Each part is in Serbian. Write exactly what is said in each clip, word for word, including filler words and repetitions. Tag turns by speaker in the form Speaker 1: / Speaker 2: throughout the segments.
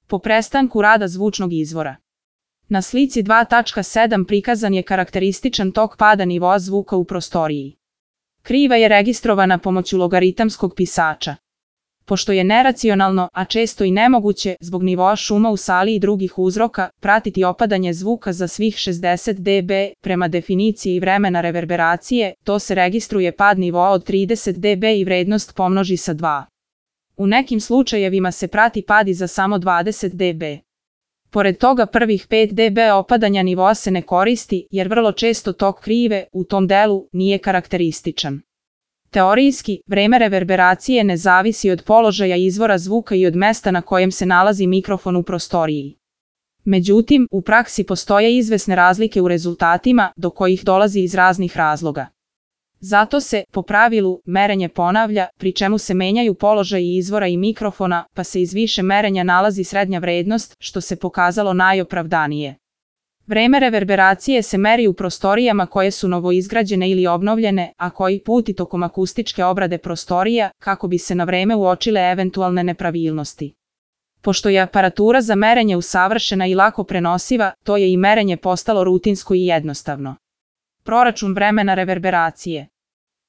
Speaker 1: po prestanku rada zvučnog izvora. Na slici dva tačka sedam prikazan je karakterističan tok pada nivoa zvuka u prostoriji. Kriva je registrovana pomoću logaritamskog pisača. Pošto je neracionalno, a često i nemoguće, zbog nivoa šuma u sali i drugih uzroka, pratiti opadanje zvuka za svih šezdeset decibela, prema definiciji vremena reverberacije, to se registruje pad nivoa od trideset decibela i vrednost pomnoži sa dva. U nekim slučajevima se prati pad i za samo dvadeset decibela. Pored toga prvih pet decibela opadanja nivoa se ne koristi, jer vrlo često tok krive, u tom delu, nije karakterističan. Teorijski, vreme reverberacije ne zavisi od položaja izvora zvuka i od mesta na kojem se nalazi mikrofon u prostoriji. Međutim, u praksi postoje izvesne razlike u rezultatima, do kojih dolazi iz raznih razloga. Zato se, po pravilu, merenje ponavlja, pri čemu se menjaju položaji izvora i mikrofona, pa se iz više merenja nalazi srednja vrednost, što se pokazalo najopravdanije. Vreme reverberacije se meri u prostorijama koje su novoizgrađene ili obnovljene, a koji put i tokom akustičke obrade prostorija, kako bi se na vreme uočile eventualne nepravilnosti. Pošto je aparatura za merenje usavršena i lako prenosiva, to je i merenje postalo rutinsko i jednostavno. Proračun vremena reverberacije.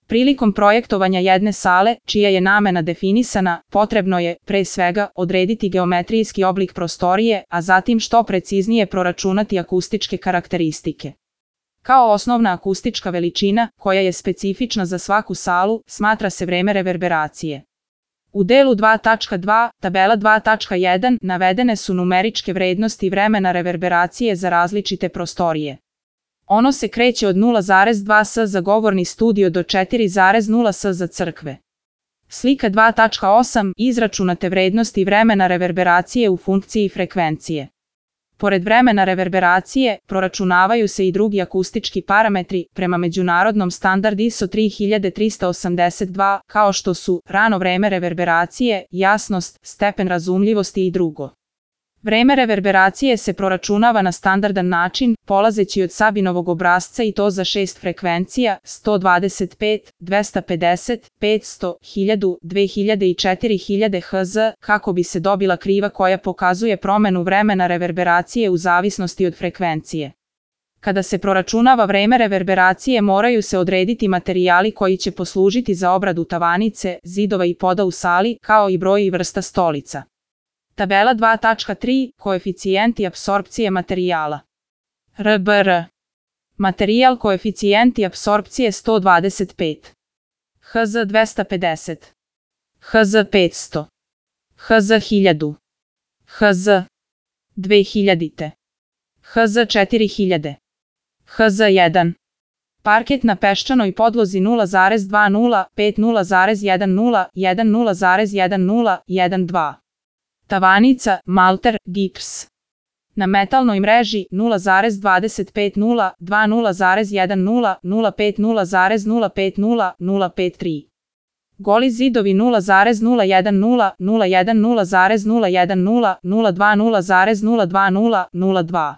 Speaker 1: Prilikom projektovanja jedne sale, čija je namena definisana, potrebno je, pre svega, odrediti geometrijski oblik prostorije, a zatim što preciznije proračunati akustičke karakteristike. Kao osnovna akustička veličina, koja je specifična za svaku salu, smatra se vreme reverberacije. U delu dva tačka dva, tabela dva tačka jedan, navedene su numeričke vrednosti vremena reverberacije za različite prostorije. Ono se kreće od nula zarez dva S za govorni studio do četiri zarez nula S za crkve. Slika dva tačka osam, izračunate vrednosti vremena reverberacije u funkciji frekvencije. Pored vremena reverberacije, proračunavaju se i drugi akustički parametri, prema međunarodnom standard I S O tri hiljade trista osamdeset dva, kao što su rano vreme reverberacije, jasnost, stepen razumljivosti i drugo. Vreme reverberacije se proračunava na standardan način, polazeći od Sabinovog obrasca i to za šest frekvencija, sto dvadeset pet, dvesta pedeset, petsto, hiljadu, dve hiljade i četiri hiljade hertz, kako bi se dobila kriva koja pokazuje promenu vremena reverberacije u zavisnosti od frekvencije. Kada se proračunava vreme reverberacije moraju se odrediti materijali koji će poslužiti za obradu tavanice, zidova i poda u sali, kao i broj i vrsta stolica. Tabela dva tačka tri, koeficijenti apsorpcije materijala. R B R. Materijal koeficijenti apsorpcije sto dvadeset pet. Hertz dvesta pedeset. Hertz petsto. Hertz hiljadu. Hertz dve hiljade. Hertz četiri hiljade. Hertz jedan. Parket na peščanoj podlozi nula zarez dvadeset pet nula zarez dvadeset jedan nula zarez dvadeset dva. Tavanica, malter, gips. Na metalnoj mreži nula zarez dvadeset pet nula dva nula zarez deset nula pet nula zarez nula pet nula nula pet tri. Goli zidovi nula zarez nula jedan nula nula jedan nula zarez nula jedan nula nula dva nula zarez nula dva nula nula dva.